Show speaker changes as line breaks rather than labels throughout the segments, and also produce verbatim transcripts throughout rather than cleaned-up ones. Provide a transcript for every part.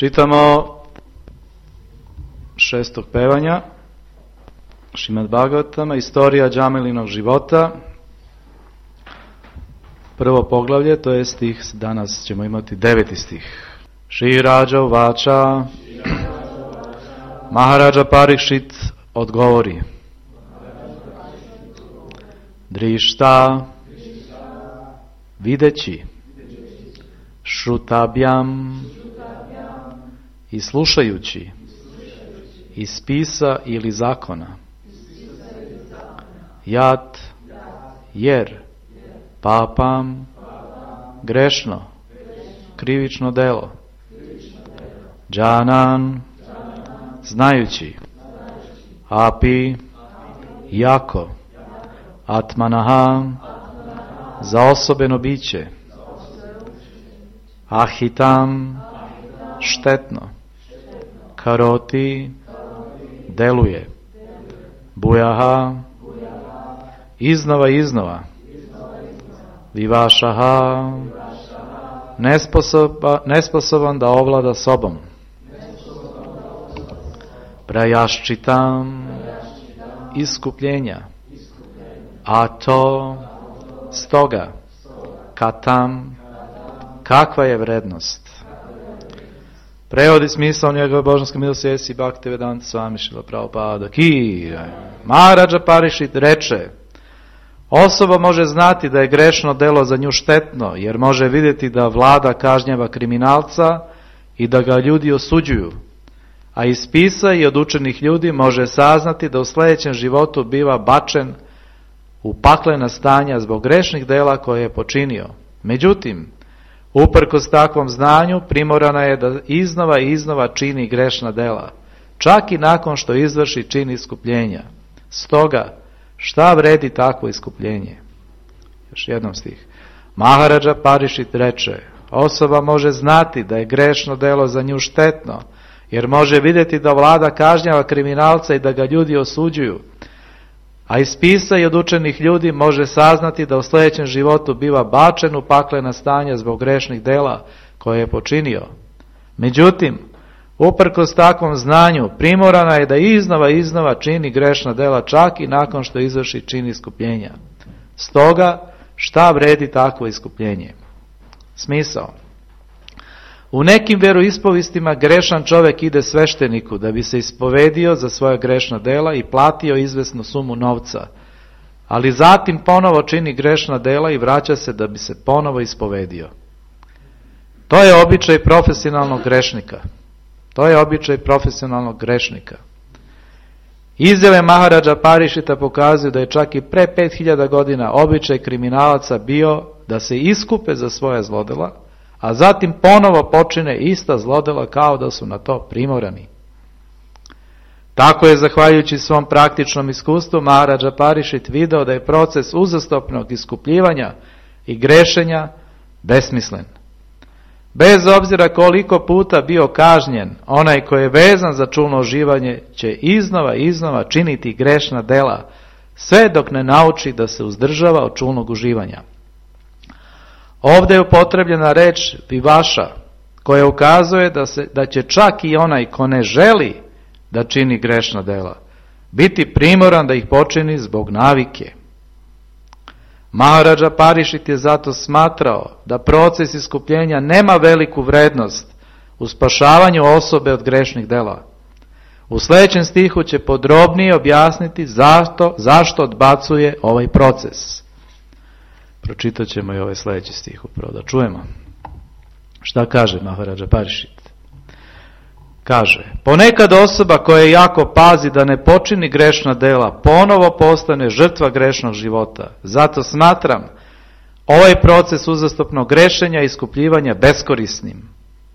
Čitamo šestog pevanja Šrimad Bhagavatama, istorija Džamilinog života. Prvo poglavlje, to je stih, danas ćemo imati deveti stih. Šri Rađa uvača, Maharaja Parikšit odgovori. Drišta, videći, šrutabjam, i slušajući, iz spisa ili zakona, jat, jer, papam, grešno, krivično delo, džanan, znajući, api, jako, atmanaha, za osobeno biće, ahitam, štetno, karoti, deluje, bujaha, iznova iznova, vivašaha, nesposoba, nesposoban da ovlada sobom, prajaščitam, iskupljenja, a to, stoga, katam, kakva je vrednost. Prevodi smisao njegove božanske milosti Esi Bhaktivedanta Swami Srila Prabhupada ki. Maharaja Parikšit reče: osoba može znati da je grešno delo za nju štetno, jer može vidjeti da vlada kažnjava kriminalca i da ga ljudi osuđuju. A iz spisa i od učenih ljudi može saznati da u sljedećem životu biva bačen u paklena stanja zbog grešnih dela koje je počinio. Međutim, uprkos takvom znanju, primorana je da iznova i iznova čini grešna dela, čak i nakon što izvrši čin iskupljenja. Stoga, šta vredi takvo iskupljenje? Još jednom stih. Maharaja Parikšit reče: osoba može znati da je grešno delo za nju štetno, jer može vidjeti da vlada kažnjava kriminalca i da ga ljudi osuđuju. A iz spisa i od učenih ljudi može saznati da u sljedećem životu biva bačen u paklena stanja zbog grešnih dela koje je počinio. Međutim, uprkos takvom znanju, primorana je da iznova iznova čini grešna dela čak i nakon što izvrši čin iskupljenja. Stoga, šta vredi takvo iskupljenje? Smisao. U nekim vjeroispovistima grešan čovjek ide svešteniku da bi se ispovedio za svoja grešna dela i platio izvesnu sumu novca, ali zatim ponovo čini grešna dela i vraća se da bi se ponovo ispovedio. To je običaj profesionalnog grešnika. To je običaj profesionalnog grešnika. Izjave Maharaja Parikšita pokazuju da je čak i pre pet hiljada godina običaj kriminalaca bio da se iskupe za svoja zlodela, a zatim ponovo počine ista zlodela kao da su na to primorani. Tako je, zahvaljujući svom praktičnom iskustvu, Maharaja Parikšit video da je proces uzastopnog iskupljivanja i grešenja besmislen. Bez obzira koliko puta bio kažnjen, onaj koji je vezan za čulno uživanje će iznova i iznova činiti grešna dela, sve dok ne nauči da se uzdržava od čulnog uživanja. Ovdje je upotrebljena reč vivaša, koja ukazuje da, se, da će čak i onaj ko ne želi da čini grešna dela biti primoran da ih počini zbog navike. Maharaja Parikšit je zato smatrao da proces iskupljenja nema veliku vrednost u spašavanju osobe od grešnih dela. U sljedećem stihu će podrobnije objasniti zašto, zašto odbacuje ovaj proces. Pročitat ćemo i ovaj sljedeći stih upravo da čujemo. Šta kaže Maharaja Parikšit? Kaže: ponekad osoba koja jako pazi da ne počini grešna dela ponovo postane žrtva grešnog života. Zato smatram ovaj proces uzastopnog grešenja i iskupljivanja beskorisnim.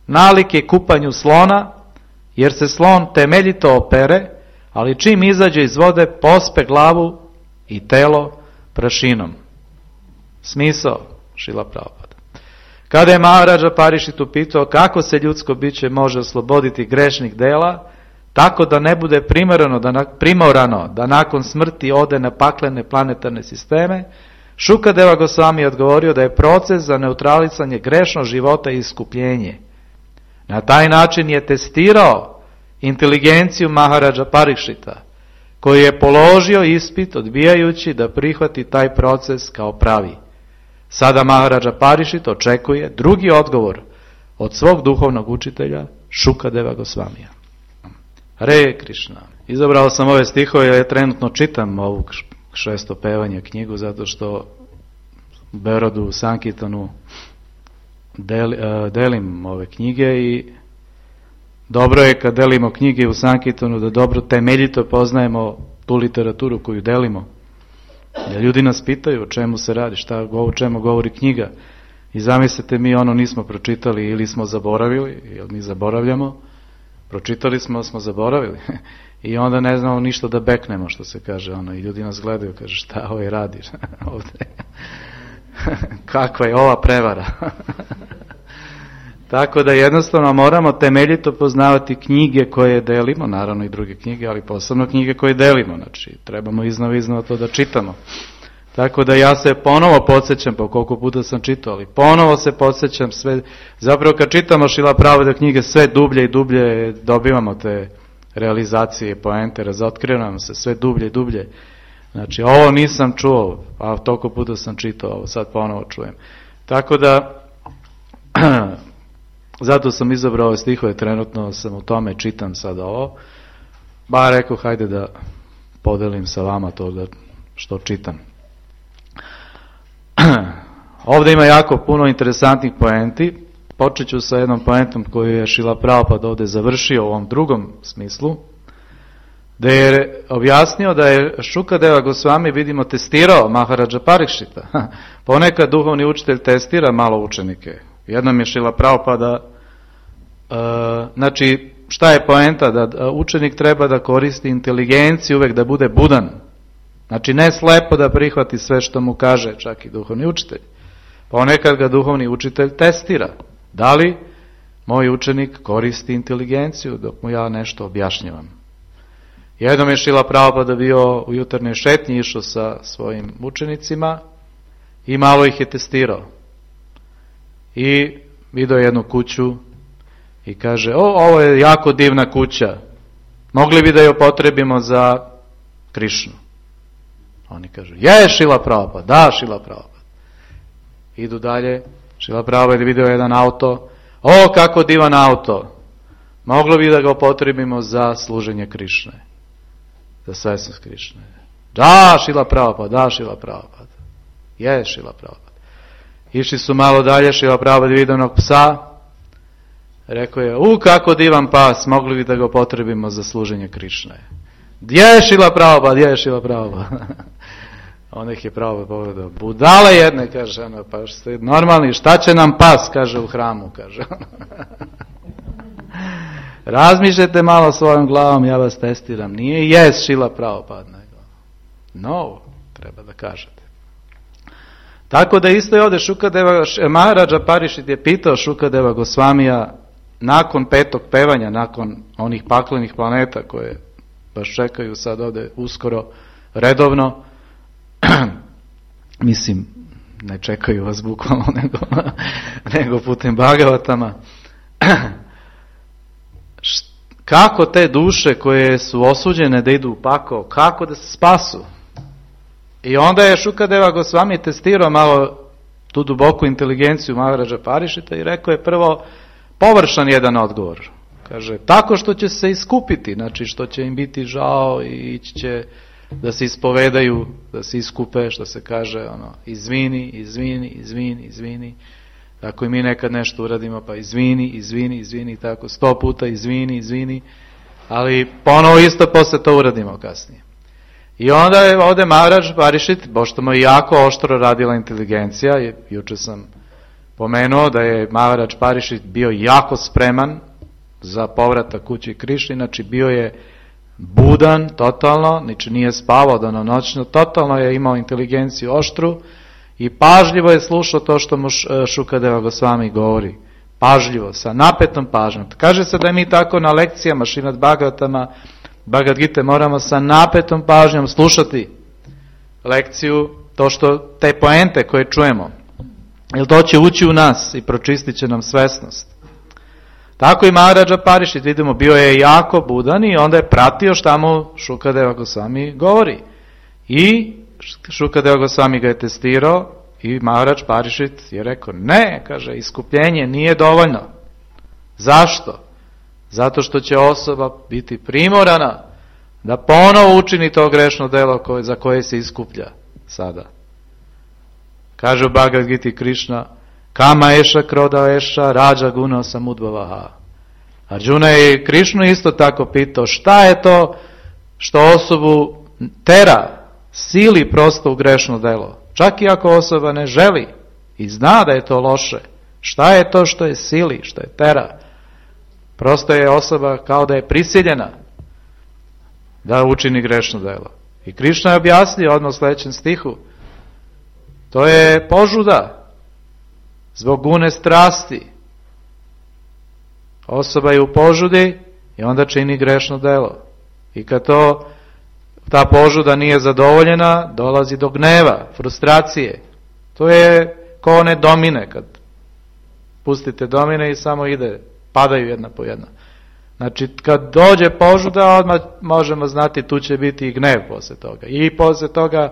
Nalik je kupanju slona, jer se slon temeljito opere, ali čim izađe iz vode pospe glavu i telo prašinom. Smisao Šrila Prabhupada. Kada je Maharaja Parikšit upitao kako se ljudsko biće može osloboditi grešnih dela, tako da ne bude primorano da, primorano da nakon smrti ode na paklene planetarne sisteme, Šukadeva Gosvami je odgovorio da je proces za neutralisanje grešnog života i iskupljenje. Na taj način je testirao inteligenciju Maharaja Parikšita, koji je položio ispit odbijajući da prihvati taj proces kao pravi. Sada Maharaja Parikšit očekuje drugi odgovor od svog duhovnog učitelja Šukadeva Gosvamija. Hare Krišna. Izabrao sam ove stihove jer trenutno čitam ovu šesto pevanje knjigu zato što u Beorodu u Sankirtanu del, delim ove knjige i dobro je kad delimo knjige u Sankirtanu da dobro temeljito poznajemo tu literaturu koju delimo. Jer ljudi nas pitaju o čemu se radi, šta, o čemu govori knjiga. I zamislite, mi ono nismo pročitali ili smo zaboravili, jer mi zaboravljamo. Pročitali smo, smo zaboravili. I onda ne znamo ništa da beknemo, što se kaže. Ono, i ljudi nas gledaju, kaže, šta ovaj radiš ovde? Kakva je ova prevara? Tako da jednostavno moramo temeljito poznavati knjige koje delimo, naravno i druge knjige, ali posebno knjige koje delimo, znači trebamo iznova iznova to da čitamo. Tako da ja se ponovo podsjećam, po koliko puta sam čitao, ali ponovo se podsjećam sve, zapravo kad čitamo Šrila Prabhupada knjige, sve dublje i dublje dobivamo te realizacije, poente, razotkrivamo se sve dublje i dublje. Znači ovo nisam čuo, a toliko puta sam čitao, ovo sad ponovo čujem. Tako da zato sam izabrao ove stihove, trenutno sam u tome, čitam sada ovo, ba rekao, hajde da podelim sa vama to da, što čitam. Ovdje ima jako puno interesantnih poenti, počet ću sa jednom poentom koju je Šrila Prabhupada ovdje završio u ovom drugom smislu, da je objasnio da je Šukadeva Gosvami, vidimo, testirao Maharaja Parikšita. Ponekad duhovni učitelj testira malo učenike. Jednom je Šrila Prabhupada, uh, znači šta je poenta? Da učenik treba da koristi inteligenciju, uvek da bude budan. Znači ne slepo da prihvati sve što mu kaže čak i duhovni učitelj. Ponekad ga duhovni učitelj testira. Da li moj učenik koristi inteligenciju dok mu ja nešto objašnjavam? Jednom je Šrila Prabhupada bio u jutarnjoj šetnji, išao sa svojim učenicima i malo ih je testirao. I vidio jednu kuću i kaže, o, ovo je jako divna kuća, mogli bi da je upotrebimo za Krišnu. Oni kažu, je Šrila Prabhupada, da Šrila Prabhupada. Idu dalje, Šrila Prabhupada je vidio jedan auto, o, kako divan auto, mogli bi da ga upotrebimo za služenje Krišne, za svesnost Krišne. Da Šrila Prabhupada, da Šrila Prabhupada, je Šrila Prabhupada. Išli su malo dalje, Šrila Prabhupada vidio onog psa, rekao je, u, kako divan pas, mogli bi da ga upotrebimo za služenje Krišne. Gdje je Šrila Prabhupada, gdje je Šrila Prabhupada? Onda ih je Prabhupada pogledao, budale jedne, kaže, ono, pa ste normalni, šta će nam pas, kaže, u hramu, kaže. Razmišljajte malo svojom glavom, ja vas testiram, nije jes Šrila Prabhupada, nego no, treba da kažete. Tako da isto je ovdje Šukadeva, Maharaja Parikšit je pitao Šukadeva Gosvamija nakon petog pevanja, nakon onih paklenih planeta koje baš čekaju sad ovdje uskoro redovno, mislim, ne čekaju vas bukvalno, nego, nego putem Bhagavatama, kako te duše koje su osuđene da idu u pakao, kako da se spasu? I onda je Šukadeva Gosvami testirao malo tu duboku inteligenciju Maharaja Parikšita i rekao je prvo površan jedan odgovor. Kaže, tako što će se iskupiti, znači što će im biti žao i ići će da se ispovedaju, da se iskupe, što se kaže, ono, izvini, izvini, izvini, izvini. Tako i mi nekad nešto uradimo, pa izvini, izvini, izvini, tako sto puta izvini, izvini, ali ponovo isto posle to uradimo kasnije. I onda je ovdje Maharaja Parikšit, pošto mu je jako oštro radila inteligencija, juče sam pomenuo da je Maharaja Parikšit bio jako spreman za povratak kući Krišni, znači bio je budan totalno, znači nije spavao danonoćno, totalno je imao inteligenciju oštru i pažljivo je slušao to što mu Šukadeva Gosvami govori. Pažljivo, sa napetom pažnjom. Kaže se da mi tako na lekcijama Šrimad Bhagavatama, Bhagavad Gita moramo sa napetom pažnjom slušati lekciju, to što te poente koje čujemo. Jer to će ući u nas i pročistit će nam svesnost. Tako i Maharaja Parishit, vidimo, bio je jako budan i onda je pratio šta mu Šukadeva Gosvami govori. I Šukadeva Gosvami ga je testirao i Maharaj Parishit je rekao, ne, kaže, iskupljenje nije dovoljno. Zašto? Zato što će osoba biti primorana da ponovo učini to grešno delo koje, za koje se iskuplja sada. Kaže u Bhagavad Giti Krišna, kama eša kroda eša rađa guna samudbavaha. Arjuna je Krišnu isto tako pitao, šta je to što osobu tera, sili prosto u grešno delo. Čak i ako osoba ne želi i zna da je to loše, šta je to što je sili, što je tera? Prosto je osoba kao da je prisiljena da učini grešno delo. I Krišna je objasnio odmah u sledećem stihu, to je požuda zbog gune strasti. Osoba je u požudi i onda čini grešno delo. I kad to, ta požuda nije zadovoljena, dolazi do gneva, frustracije. To je kao one domine, kad pustite domine i samo ide, padaju jedna po jedna. Znači, kad dođe požuda, odmah možemo znati, tu će biti i gnev posle toga. I posle toga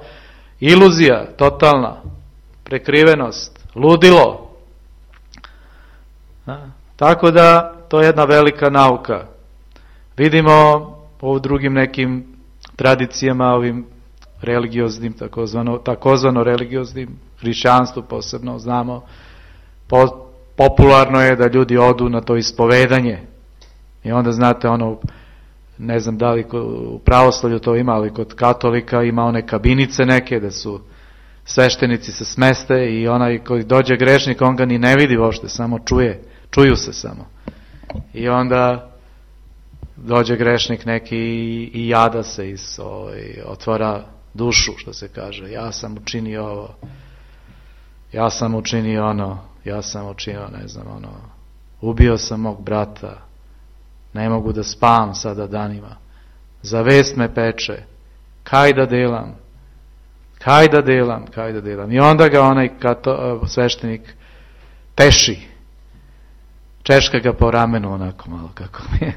iluzija, totalna, prekrivenost, ludilo. A, tako da, to je jedna velika nauka. Vidimo u drugim nekim tradicijama, ovim religioznim, takozvano, takozvano religioznim, hrišćanstvu posebno, znamo, po, popularno je da ljudi odu na to ispovedanje. I onda znate ono, ne znam da li u pravoslavlju to ima, ali kod katolika ima one kabinice neke, da su sveštenici se smeste i onaj koji dođe grešnik, on ga ni ne vidi uopšte, samo čuje, čuju se samo. I onda dođe grešnik neki i jada se i otvara dušu, što se kaže, ja sam učinio ovo, ja sam učinio ono, ja sam učinio, ne znam, ono, ubio sam mog brata, ne mogu da spavam sada danima, zavest me peče, kaj da delam, kaj da delam, kaj da delam. I onda ga onaj kato, sveštenik teši, češka ga po ramenu onako malo kako mi je.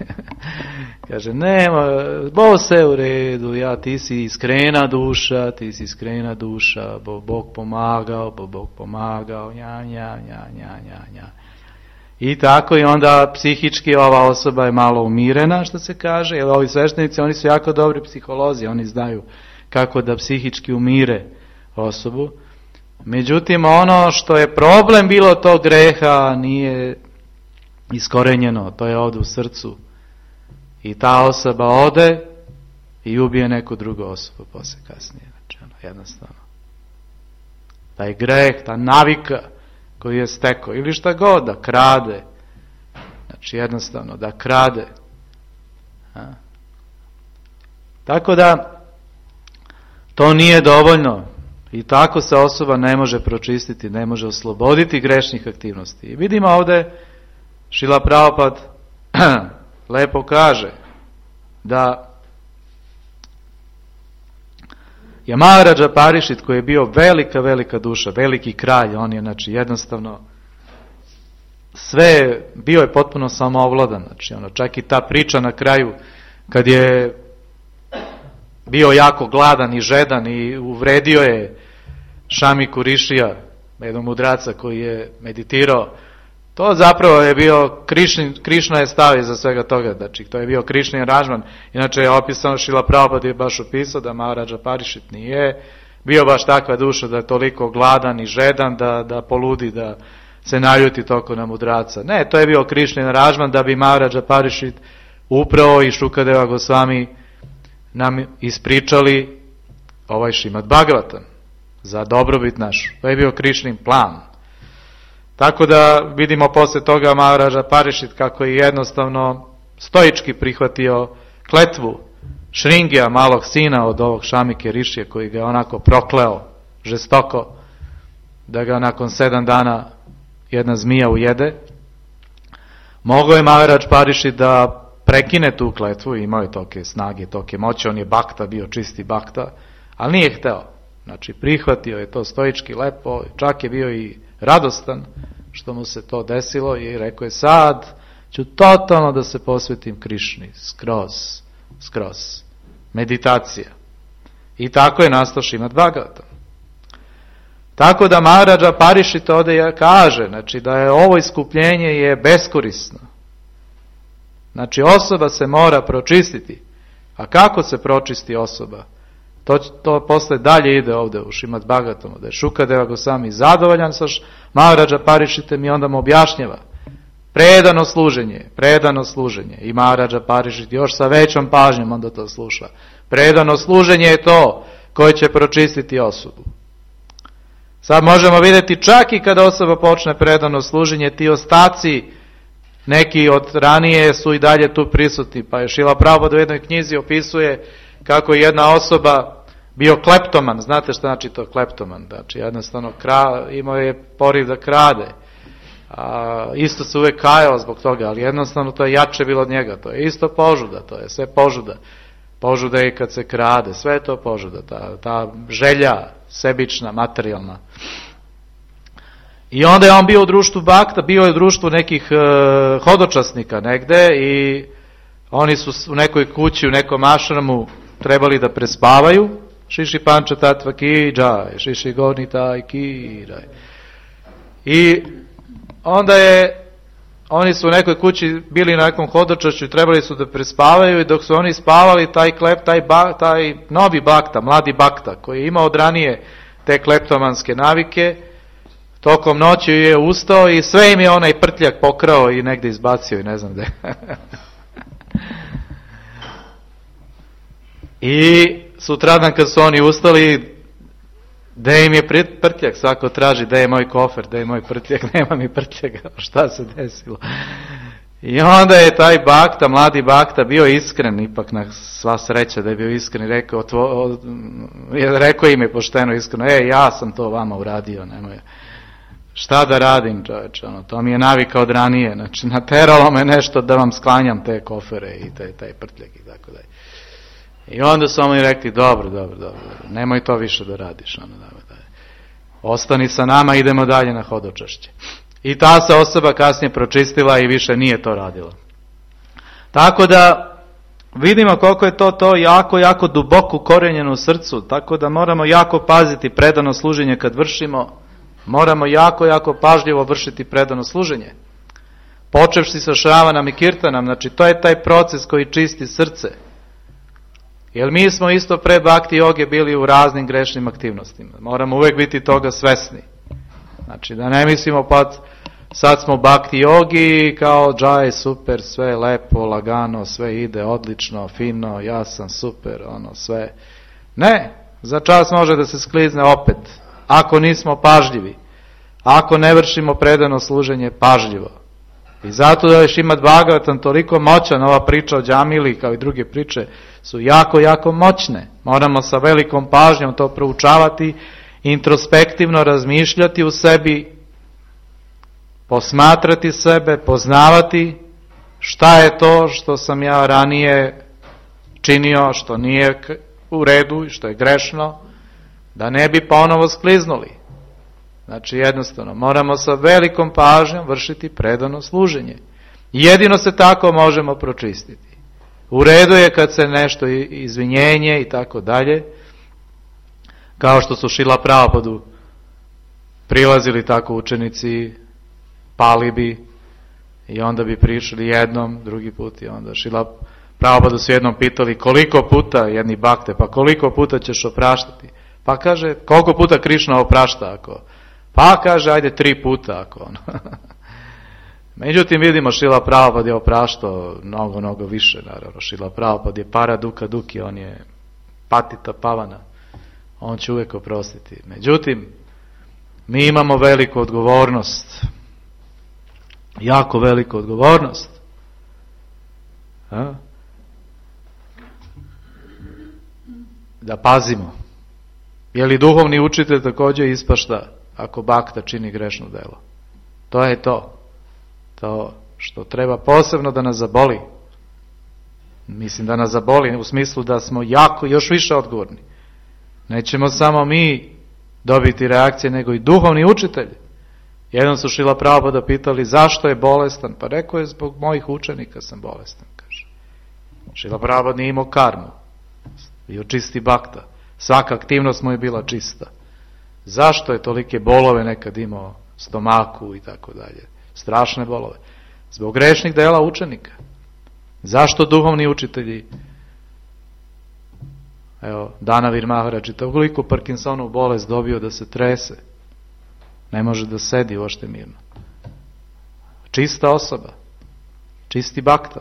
Kaže, nema, bo se u redu, ja, ti si iskrena duša, ti si iskrena duša, bo Bog pomagao, bo Bog pomagao, nja, nja, nja, nja, nja, nja. I tako i onda psihički ova osoba je malo umirena, što se kaže, jer ovi sveštenici, oni su jako dobri psiholozi, oni znaju kako da psihički umire osobu. Međutim, ono što je problem bilo tog greha nije iskorenjeno, to je ovde u srcu. I ta osoba ode i ubije neku drugu osobu posle kasnije. Znači, ono, jednostavno. Taj greh, ta navika koju je stekao, ili šta god, da krade. Znači, jednostavno, da krade. A? Tako da, to nije dovoljno. I tako se osoba ne može pročistiti, ne može osloboditi grešnih aktivnosti. I vidimo ovde, Šrila Prabhupada lepo kaže da je Maharaja Parishit, koji je bio velika, velika duša, veliki kralj, on je, znači, jednostavno sve, bio je potpuno samoovladan, znači, ono, čak i ta priča na kraju, kad je bio jako gladan i žedan i uvredio je Šamiku Rišija, jednog mudraca koji je meditirao, to zapravo je bio, Krišnin, Krišna je stavio za svega toga, znači to je bio Krišnin aranžman. Inače je opisano, Šrila Prabhupada je baš opisao da Maharaja Parishit nije bio baš takva duša da je toliko gladan i žedan da, da poludi, da se naljuti toko na mudraca. Ne, to je bio Krišnin aranžman da bi Maharaja Parishit upravo i Šukadeva Gosvami nam ispričali ovaj Šrimad Bhagavatam za dobrobit našu. To je bio Krišnin plan. Tako da vidimo posle toga Maharaja Parishit kako je jednostavno stoički prihvatio kletvu Šringija, malog sina od ovog Šamike Rišije, koji ga onako prokleo žestoko, da ga nakon sedam dana jedna zmija ujede. Mogao je Maharaj Parishit da prekine tu kletvu, imao je toke snage, toke moći, on je bakta, bio čisti bakta, ali nije hteo. Znači, prihvatio je to stoički lepo, čak je bio i radostan što mu se to desilo i rekao je, sad ću totalno da se posvetim Krišni, skroz, skroz. Meditacija. I tako je nastao Šrimad Bhagavatam. Tako da Maharaja Parishit ovdje kaže, znači da je ovo iskupljenje je beskorisno. Znači osoba se mora pročistiti. A kako se pročisti osoba? To, to posle dalje ide ovdje u Šrimad Bhagavatamu, da je Šukadeva Gosvami zadovoljan sa Maharaja Parishitem i onda mu objašnjava. Predano služenje, predano služenje. I Maharaja Parishit još sa većom pažnjom onda to sluša. Predano služenje je to koje će pročistiti osobu. Sad možemo vidjeti čak i kada osoba počne predano služenje, ti ostaci neki od ranije su i dalje tu prisutni. Pa je Šrila Prabhupada u jednoj knjizi opisuje kako je jedna osoba bio kleptoman. Znate šta znači to kleptoman? Znači jednostavno kra, imao je poriv da krade. A, isto se uvijek kajao zbog toga, ali jednostavno to je jače bilo od njega. To je isto požuda, to je sve požuda. Požuda je kad se krade, sve je to požuda. Ta, ta želja sebična, materijalna. I onda je on bio u društvu bakta, bio je u društvu nekih uh, hodočasnika negde i oni su u nekoj kući, u nekom ašramu trebali da prespavaju. Šiši panča tatva ki džaj, šiši gornita ki džaj. I onda je, oni su u nekoj kući bili na nekom hodočašću i trebali su da prespavaju i dok su oni spavali, taj klep, taj, ba, taj novi bakta, mladi bakta, koji je imao od ranije te kleptomanske navike, tokom noći je ustao i sve im je onaj prtljak pokrao i negdje izbacio i ne znam gde. I sutradan kad su oni ustali, gde im je prtljak, svako traži, gde je moj kofer, gde je moj prtljak, nema mi prtljaka, šta se desilo. I onda je taj bakta, mladi bakta, bio iskren, ipak na sva sreća da je bio iskren i rekao, tvo, rekao im je pošteno iskreno, e, ja sam to vama uradio, nemoj. Šta da radim, čoveče, ono, to mi je navika od ranije, znači nateralo me nešto da vam sklanjam te kofere i te, taj prtljak i tako dalje. I onda su oni rekli, dobro, dobro, dobro, nemoj to više da radiš, ono, da, da. Ostani sa nama, idemo dalje na hodočašće. I ta se osoba kasnije pročistila i više nije to radila. Tako da vidimo koliko je to to jako, jako duboko ukorenjeno u srcu, tako da moramo jako paziti predano služenje kad vršimo, moramo jako, jako pažljivo vršiti predano služenje. Počevši sa šravanam i kirtanam, znači to je taj proces koji čisti srce. Jer mi smo isto pre bhakti joge bili u raznim grešnim aktivnostima. Moramo uvijek biti toga svesni. Znači da ne mislimo pa sad smo bhakti jogi kao džaj, super, sve lepo, lagano, sve ide odlično, fino, ja sam super, ono sve. Ne, za čas može da se sklizne opet. Ako nismo pažljivi, ako ne vršimo predano služenje pažljivo. I zato da je Šrimad Bhagavatam toliko moćan, ova priča o Džamili kao i druge priče su jako, jako moćne. Moramo sa velikom pažnjom to proučavati, introspektivno razmišljati u sebi, posmatrati sebe, poznavati šta je to što sam ja ranije činio, što nije u redu i što je grešno, da ne bi ponovo skliznuli. Znači jednostavno, moramo sa velikom pažnjom vršiti predano služenje. Jedino se tako možemo pročistiti. U redu je kad se nešto izvinjenje i tako dalje, kao što su Šrila Prabhupadu prilazili tako učenici, pali bi i onda bi prišli jednom, drugi put i onda Šrila Prabhupadu su jednom pitali koliko puta, jedni bakte, pa koliko puta ćeš opraštati? Pa kaže, koliko puta Krišna oprašta ako... Pa kaže, ajde tri puta ako ono. Međutim, vidimo Šrila Prabhupada je opraštao mnogo, mnogo više, naravno. Šrila Prabhupada je para duka duki, on je patita pavana. On će uvijek oprostiti. Međutim, mi imamo veliku odgovornost. Jako veliku odgovornost. A? Da pazimo. Je li duhovni učitelj također ispašta ako bakta čini grešno delo? To je to. To što treba posebno da nas zaboli. Mislim da nas zaboli u smislu da smo jako, još više odgovorni. Nećemo samo mi dobiti reakcije, nego i duhovni učitelj. Jednom su Šrila Prabhupada pitali zašto je bolestan, pa rekao je zbog mojih učenika sam bolestan, kaže. Šrila Prabhupada nije imao karmu, bio čisti bakta, svaka aktivnost mu je bila čista. Zašto je tolike bolove nekad imao, stomaku i tako dalje, strašne bolove? Zbog grešnih dela učenika. Zašto duhovni učitelji, evo, Danavir Maharaj, toliko Parkinsonovu bolest dobio da se trese, ne može da sedi uopšte mirno. Čista osoba, čisti bakta,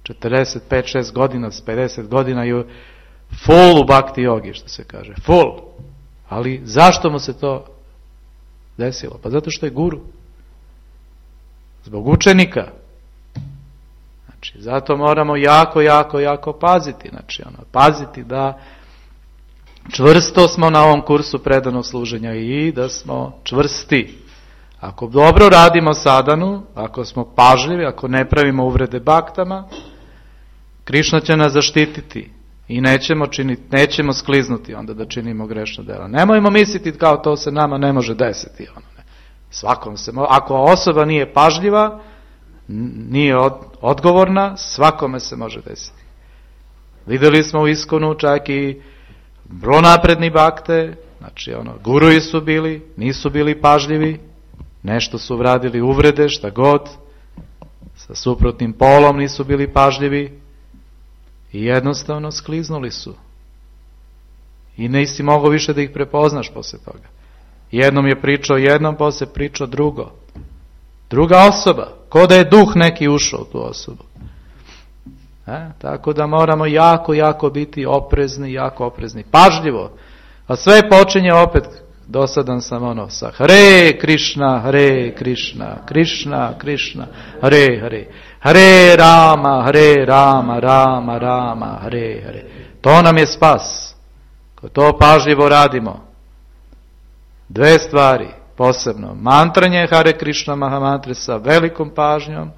četrdeset pet šest godina, s pedeset godina je full u bakti jogi, što se kaže, full. Ali zašto mu se to desilo? Pa zato što je guru. Zbog učenika. Znači, zato moramo jako, jako, jako paziti. Znači, ono, paziti da čvrsto smo na ovom kursu predanog služenja i da smo čvrsti. Ako dobro radimo sadhanu, ako smo pažljivi, ako ne pravimo uvrede baktama, Krišna će nas zaštititi i nećemo, činiti, nećemo skliznuti onda da činimo grešno dela. Nemojmo misliti kao to se nama ne može desiti. Ono, ne. Svakom se, ako osoba nije pažljiva, nije od, odgovorna, svakome se može desiti. Videli smo u Iskonu čak i vrlo napredni bakte, znači ono, guruji su bili, nisu bili pažljivi, nešto su vradili uvrede, šta god, sa suprotnim polom nisu bili pažljivi i jednostavno skliznuli su. I nisi mogao više da ih prepoznaš posle toga. Jednom je pričao jednom, posle pričao drugo. Druga osoba, ko da je duh neki ušao u tu osobu. E, tako da moramo jako, jako biti oprezni, jako oprezni, pažljivo. A sve počinje opet, dosadan sam ono, sa Hare Krišna, Hare Krišna, Krišna, Krišna, Hare Hare, Hare Rama, Hare Rama, Rama, Rama, Hare Hare. To nam je spas. Ko to pažljivo radimo. Dve stvari, posebno, mantranje Hare Krišna Mahamantre sa velikom pažnjom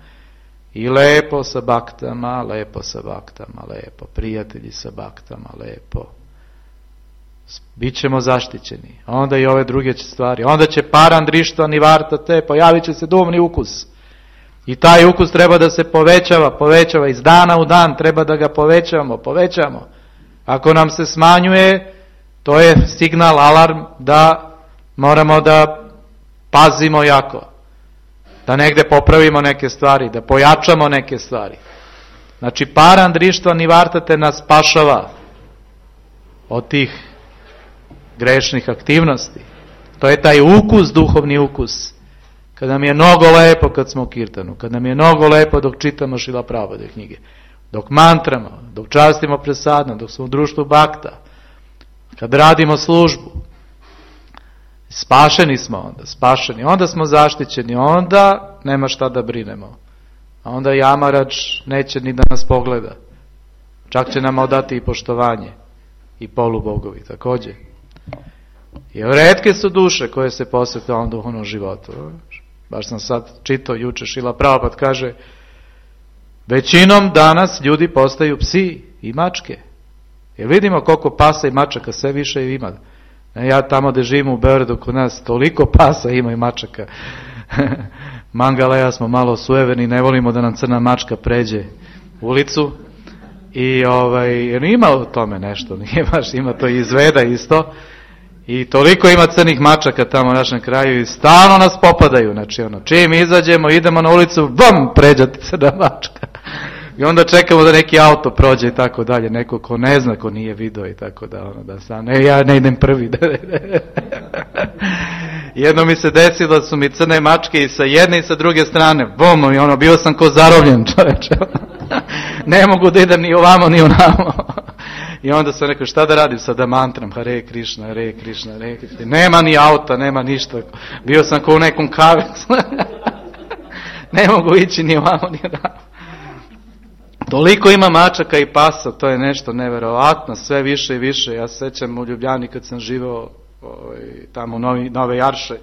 i lepo sa baktama, lepo sa baktama, lepo, prijatelji sa baktama, lepo. Bićemo zaštićeni. Onda i ove druge stvari. Onda će parandrištva nivarta te, pojavit će se duhovni ukus. I taj ukus treba da se povećava, povećava iz dana u dan, treba da ga povećavamo, povećamo. Ako nam se smanjuje, to je signal, alarm da moramo da pazimo jako. Da negde popravimo neke stvari, da pojačamo neke stvari. Znači, parandrištva nivarta te nas spašava od tih grešnih aktivnosti. To je taj ukus, duhovni ukus. Kad nam je mnogo lepo kad smo u kirtanu, kad nam je mnogo lepo dok čitamo Šrila Prabhupada knjige, dok mantramo, dok častimo presadno, dok smo u društvu bakta, kad radimo službu, spašeni smo onda, spašeni, onda smo zaštićeni, onda nema šta da brinemo. A onda Jamarač neće ni da nas pogleda. Čak će nam odati i poštovanje. I polubogovi također. Jer retke su duše koje se posvete ovom duhovnom životu. Baš sam sad čitao juče, Šrila Prabhupada kaže, većinom danas ljudi postaju psi i mačke. Jer vidimo koliko pasa i mačaka sve više ima. Ja tamo gde živim u Beogradu kod nas, toliko pasa ima i mačaka. Mangala, ja smo malo sujeverni, ne volimo da nam crna mačka pređe ulicu. I ovaj, jer ima u tome nešto, nije baš, ima to i izveda isto. I toliko ima crnih mačaka tamo u našem kraju i stalno nas popadaju. Znači ono, čim izađemo, idemo na ulicu, bam, pređa ti crna mačka. I onda čekamo da neki auto prođe i tako dalje, neko ko ne zna, ko nije video i tako da, ono, da sam, ne, ja ne idem prvi. Jedno mi se desilo da su mi crne mačke i sa jedne i sa druge strane, bum, i ono, bio sam ko zarobljen, čoveče. Ne mogu da idem ni ovamo, ni onamo. I onda sam rekao, šta da radim sada mantram, Hare Krišna, Hare Krišna, Hare Krišna. Nema ni auta, nema ništa. Bio sam ko u nekom kavecu. Ne mogu ići ni ovamo, ni onamo. Toliko ima mačaka i pasa, to je nešto neverovatno, sve više i više. Ja se sećam u Ljubljani kad sam živeo ovaj, tamo u Novi, Nove Jarše.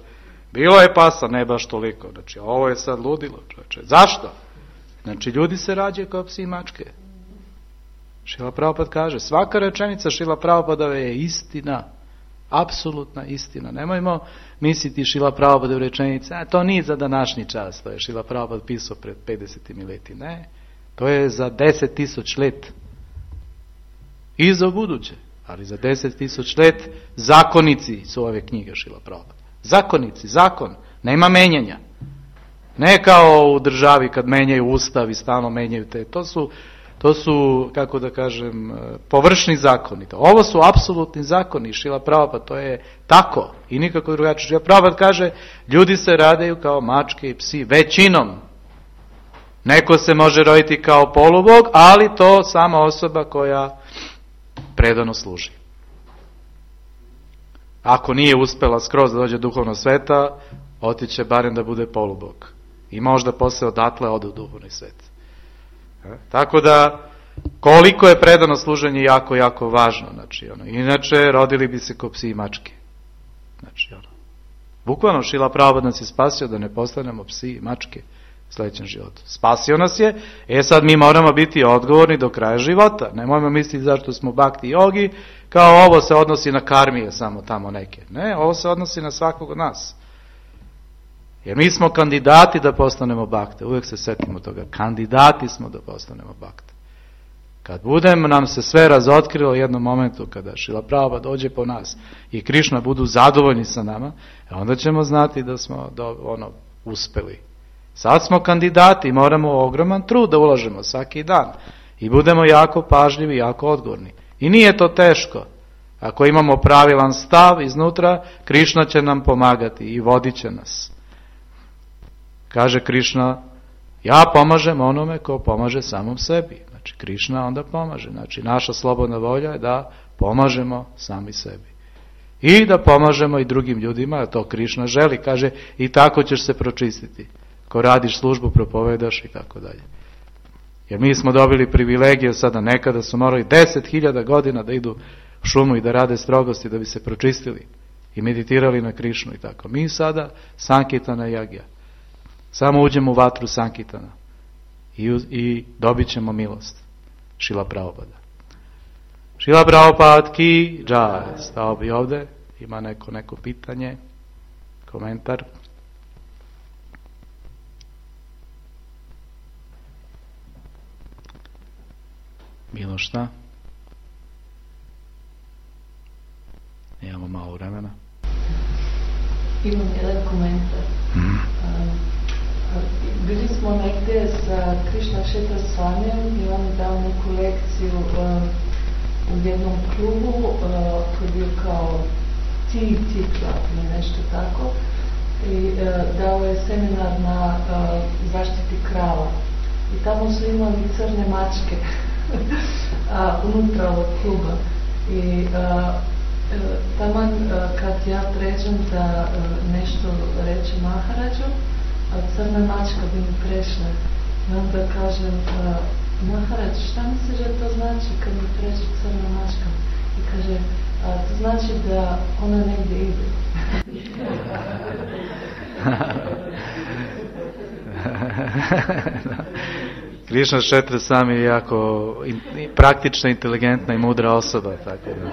Bilo je pasa, ne baš toliko. Znači, ovo je sad ludilo, čoveče. Zašto? Znači, ljudi se rađaju kao psi i mačke. Šrila Prabhupada kaže, svaka rečenica Šrila Prabhupadove je istina. apsolutna istina. Nemojmo misliti Šrila Prabhupada u rečenici, a to nije za današnji čas, to je Šrila Prabhupada pisao pred pedeset leti. Ne, to je za deset tisuća let. I za buduće, ali za deset tisuća let zakonici su ove knjige Šrila Prabhupada. Zakonici, zakon, nema menjanja. Ne kao u državi kad menjaju ustav i stalno menjaju te, to su To su, kako da kažem, površni zakoni. Ovo su apsolutni zakoni. Šrila Prabhupada, to je tako i nikako drugačije. Šrila Prabhupada kaže, ljudi se rađaju kao mačke i psi, većinom. Neko se može roditi kao polubog, ali to sama osoba koja predano služi. Ako nije uspela skroz da dođe duhovno sveta, otiće barem da bude polubog. I možda posle odatle ode u duhovni svet. Tako da, koliko je predano služenje jako, jako važno. Znači, ono, inače, rodili bi se ko psi i mačke. Znači, ono, bukvalno Šrila Prabhupada nas je spasio da ne postanemo psi i mačke u sljedećem životu. Spasio nas je, e sad mi moramo biti odgovorni do kraja života. Nemojmo misliti zašto smo bhakti jogi, kao ovo se odnosi na karmije samo tamo neke. Ne, ovo se odnosi na svakog od nas. Jer mi smo kandidati da postanemo bhakte. Uvijek se setimo toga. Kandidati smo da postanemo bhakte. Kad budemo nam se sve razotkrilo u jednom momentu, kada Šrila Prabhupada dođe po nas i Krišna budu zadovoljni sa nama, onda ćemo znati da smo do, ono, uspeli. Sad smo kandidati i moramo ogroman trud da ulažemo svaki dan. I budemo jako pažljivi, jako odgovorni. I nije to teško. Ako imamo pravilan stav iznutra, Krišna će nam pomagati i vodit će nas. Kaže Krišna, ja pomažem onome ko pomaže samom sebi. Znači, Krišna onda pomaže. Znači, naša slobodna volja je da pomažemo sami sebi. I da pomažemo i drugim ljudima, a to Krišna želi. Kaže, i tako ćeš se pročistiti. Ko radiš službu, propovedaš i tako dalje. Jer mi smo dobili privilegije sada, nekada su morali deset hiljada godina da idu u šumu i da rade strogosti da bi se pročistili i meditirali na Krišnu i tako. Mi sada Sankirtana Jagja. Samo uđemo u vatru Sankirtana i, i dobit ćemo milost. Šrila Prabhupada. Šrila Prabhupada ki džaj. Stao bi ovde. Ima neko, neko pitanje, komentar. Bilo šta? Imamo malo vremena.
Imam jedan komentar. Mm. Bili smo negdje sa Krišna Kshetra Swamijem i on je dao neku lekciju uh, u jednom klubu uh, koji je bio kao T T Club ili nešto tako i uh, dao je seminar na uh, zaštiti krava i tamo su imali crne mačke uh, unutra ovog kluba i uh, uh, taman uh, kad ja pređem da uh, nešto reče Maharadžu, a crna mačka bi mi prešla. I onda kažem, Maharadž, šta misliš da to znači kad mi pređe crna mačka? I kaže, a, to znači da ona negdje ide.
Krišna Kshetra Swami je jako in, praktična, inteligentna i mudra osoba, tako da.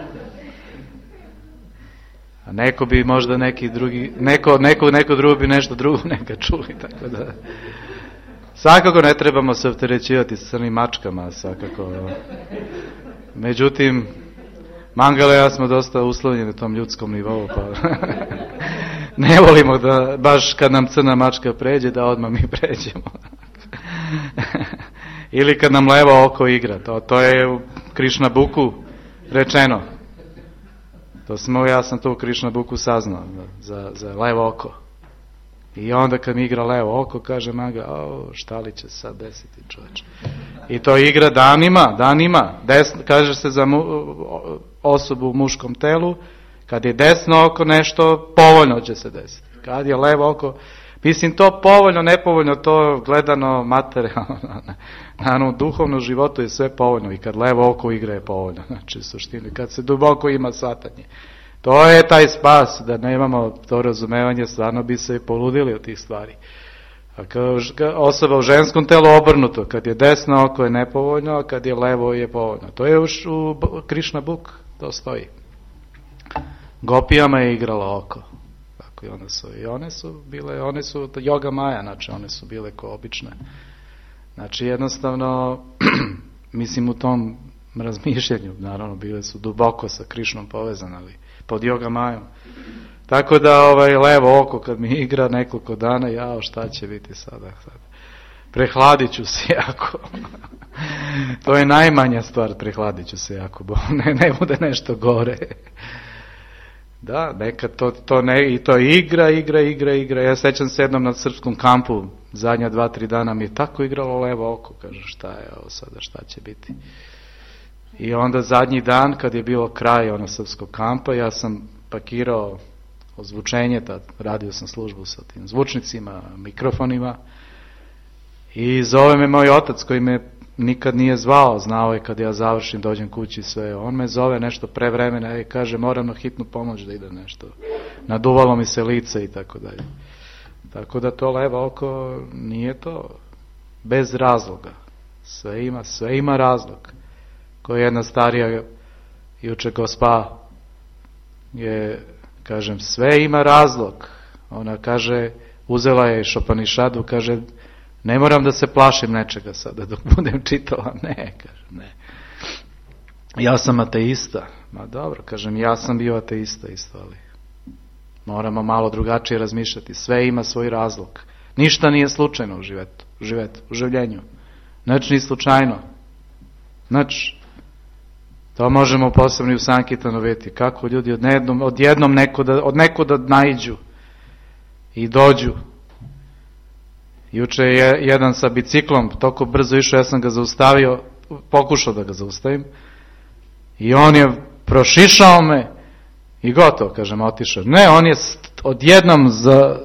A neko bi možda neki drugi, neko, neko, neko drugo bi nešto drugo neka čuli, tako da. Svakako ne trebamo se opterećivati s crnim mačkama, svakako. Međutim, Mangala i ja smo dosta uslovljeni na tom ljudskom nivou, pa ne volimo da baš kad nam crna mačka pređe, da odmah mi pređemo. Ili kad nam levo oko igra, to, to je u Krišna Buku rečeno. To smo, ja sam to u Krišna Buku saznao, za, za levo oko. I onda kad mi igra levo oko, kaže Manga, o, šta li će sad desiti, čovječe. I to igra danima, danima. Desno, kaže se za mu, osobu u muškom telu, kad je desno oko nešto, povoljno će se desiti. Kad je levo oko, mislim to povoljno, nepovoljno, to gledano materijalno, naravno, duhovno životu je sve povoljno i kad levo oko igra je povoljno, znači u suštini, kad se duboko ima shvatanje. To je taj spas, da nemamo to razumevanje, stvarno bi se poludili od tih stvari. A kao osoba u ženskom telu obrnuto, kad je desno oko je nepovoljno, a kad je levo je povoljno. To je u, u Krišna Buk, to stoji. gopijama je igrala oko. Tako i one su, i one su bile, one su Yoga Maja, znači one su bile ko obične. Znači jednostavno, mislim u tom razmišljanju, naravno bile su duboko sa Krišnom povezane, ali pod Yoga Majom. Tako da ovaj levo oko kad mi igra nekoliko dana, jao šta će biti sada, sada. Prehladit ću se jako. To je najmanja stvar, prehladit ću se jako, bo ne, ne bude nešto gore. Da, nekad to, to ne, i to igra, igra, igra, igra. Ja sećam se jednom na srpskom kampu, zadnja dva, tri dana mi je tako igralo levo oko, kaže šta je ovo sada, šta će biti. I onda zadnji dan, kad je bilo kraj ono srpskog kampa, ja sam pakirao ozvučenje, tad radio sam službu sa tim zvučnicima, mikrofonima, i zove me moj otac koji me nikad nije zvao, znao je kad ja završim, dođem kući sve, on me zove nešto pre vremena i kaže moram na hitnu pomoć da ide nešto, naduvalo mi se lice i tako dalje. Tako da to levo oko nije to bez razloga, sve ima, sve ima razlog. Koja je jedna starija juče gospa je, kažem, sve ima razlog. Ona kaže, uzela je Šopanišadu, kaže, ne moram da se plašim nečega sada dok budem čitala. Ne, kaže, ne. Ja sam ateista. Ma dobro, kažem, ja sam bio ateista isto, ali moramo malo drugačije razmišljati. Sve ima svoj razlog. Ništa nije slučajno u životu, u životu, u življenju. Znači, ni slučajno. Znači, to možemo posebno i u Sankirtanu vidjeti. Kako ljudi odjednom, odjednom nekuda, od nekuda naiđu i dođu. Juče je jedan sa biciklom toliko brzo išao, ja sam ga zaustavio, pokušao da ga zaustavim, i on je prošišao me i gotovo, kažem, otišao. Ne, on je odjednom za,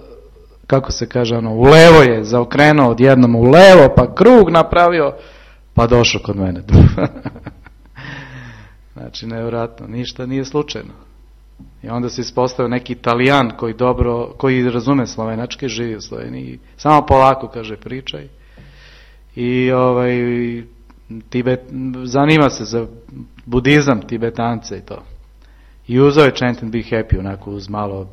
kako se kaže, ono, u levo je zaokrenuo, odjednom u levo, pa krug napravio, pa došao kod mene. Znači, nevjerojatno, ništa nije slučajno. I onda se ispostavio neki Italijan koji dobro, koji razume slovenački, živi u Sloveniji, samo polako, kaže, pričaj. I ovaj, Tibet, zanima se za budizam, Tibetance i to. I uzeo je Chant and Be Happy, onako uz malo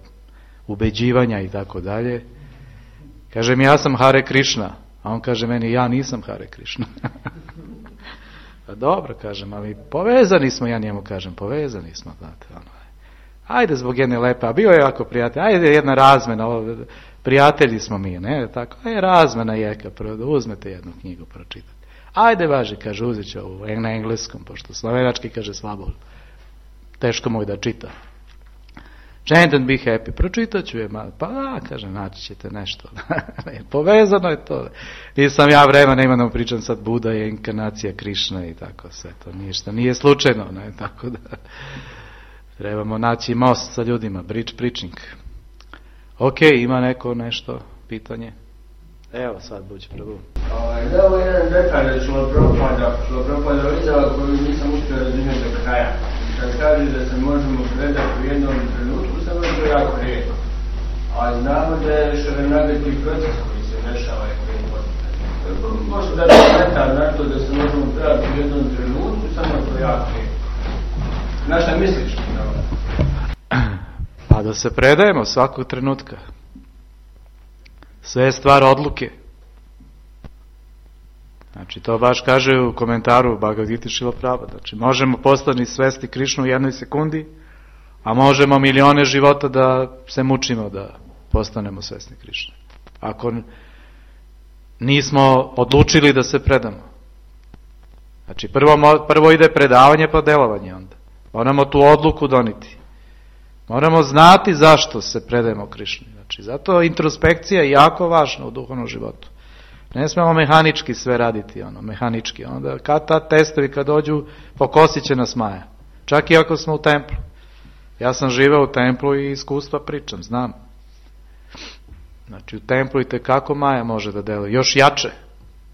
ubeđivanja i tako dalje. Kaže mi, ja sam Hare Krishna, a on kaže meni, ja nisam Hare Krishna. Pa dobro, kažem, ali povezani smo, ja njemu kažem, povezani smo, znate, ono. Ajde zbog jedne lepe, a bio je jako prijatelj, ajde jedna razmena, ovo, prijatelji smo mi, ne, tako, je razmena jeka, prvo da uzmete jednu knjigu pročitati. Ajde, važi, kaže, uzet ću ovu na engleskom, pošto slovenački, kaže, slabo, teško mu je da čita. Chant and Be Happy, pročitat ću je, pa da, kaže, naći ćete nešto. Povezano je to. Nisam ja vremena, imam da pričam sad, Buda je inkarnacija Krišna i tako, sve to ništa, nije slučajno, ne, tako da trebamo naći most sa ljudima, bridge preaching. Ok, ima neko nešto, pitanje? Evo sad, buđi prvu.
Da, ovo je jedan detalj Šilopropada, Šilopropada izjava koju nisam uspio razumjeti do kraja. Kad kaže da se možemo predati u jednom trenutku, samo je to jako rijetko. A znamo da je šarenagati proces koji se dešava i koji je potreban. Možda da je detalj na to da se možemo predati u jednom trenutku, samo je to jako rijetko. Na šta misliš?
Pa da se predajemo svakog trenutka. Sve je stvar odluke. Znači, to baš kaže u komentaru Bhagavad Gita Šiloprabhupada. Znači, možemo postati svesti Krišnu u jednoj sekundi, a možemo milione života da se mučimo da postanemo svesni Krišne. Ako nismo odlučili da se predamo. Znači, prvo, prvo ide predavanje pa delovanje onda. Moramo tu odluku doniti. Moramo znati zašto se predajemo Krišni. Znači, zato introspekcija je jako važna u duhovnom životu. Ne smemo mehanički sve raditi, ono, mehanički. Onda kad ta testovi kad dođu, pokosit će nas Maja. Čak i ako smo u templu. Ja sam živeo u templu i iskustva pričam, znam. Znači, u templu i tekako Maja može da deluje. Još jače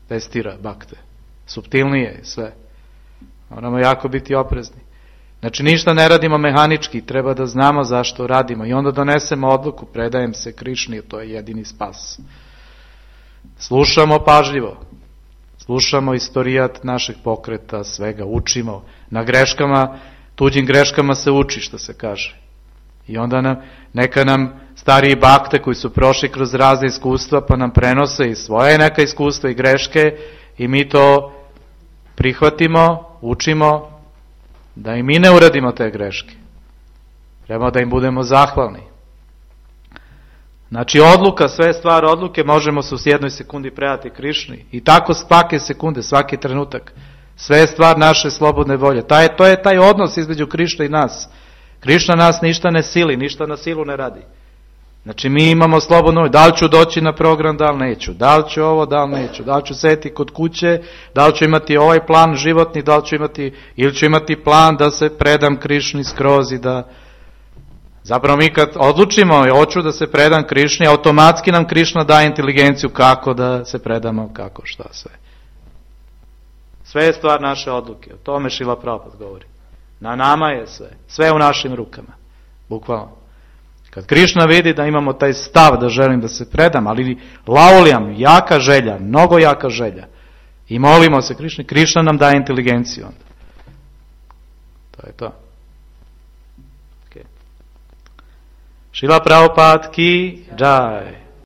testira bakte. Suptilnije sve. Moramo jako biti oprezni. Znači, ništa ne radimo mehanički, treba da znamo zašto radimo. I onda donesemo odluku, predajem se Krišni, to je jedini spas. Slušamo pažljivo. Slušamo istorijat našeg pokreta, svega, učimo. Na greškama, tuđim greškama se uči, što se kaže. I onda nam, neka nam stariji bakte koji su prošli kroz razne iskustva pa nam prenose i svoje neka iskustva i greške i mi to prihvatimo, učimo da i mi ne uradimo te greške. Treba da im budemo zahvalni. Znači odluka, sve stvar odluke, možemo se u jednoj sekundi predati Krišni. I tako svake sekunde, svaki trenutak. Sve je stvar naše slobodne volje. Taj, to je taj odnos između Krišne i nas. Krišna nas ništa ne sili, ništa na silu ne radi. Znači mi imamo slobodno volju. Da li ću doći na program, da li neću. Da li ću ovo, da li neću. Da li ću sedeti kod kuće, da li ću imati ovaj plan životni, da li ću imati, ili ću imati plan da se predam Krišni skroz i da... Zapravo mi kad odlučimo i hoću da se predam Krišni, automatski nam Krišna daje inteligenciju kako da se predamo, kako, šta sve. Sve je stvar naše odluke. O tome Šrila Prabhupada govori. Na nama je sve. Sve je u našim rukama. Bukvalno. Kad Krišna vidi da imamo taj stav da želim da se predam, ali laulijam, jaka želja, mnogo jaka želja, i molimo se Krišni, Krišna nam daje inteligenciju onda. To je to. Šrila Prabhupada ki jai.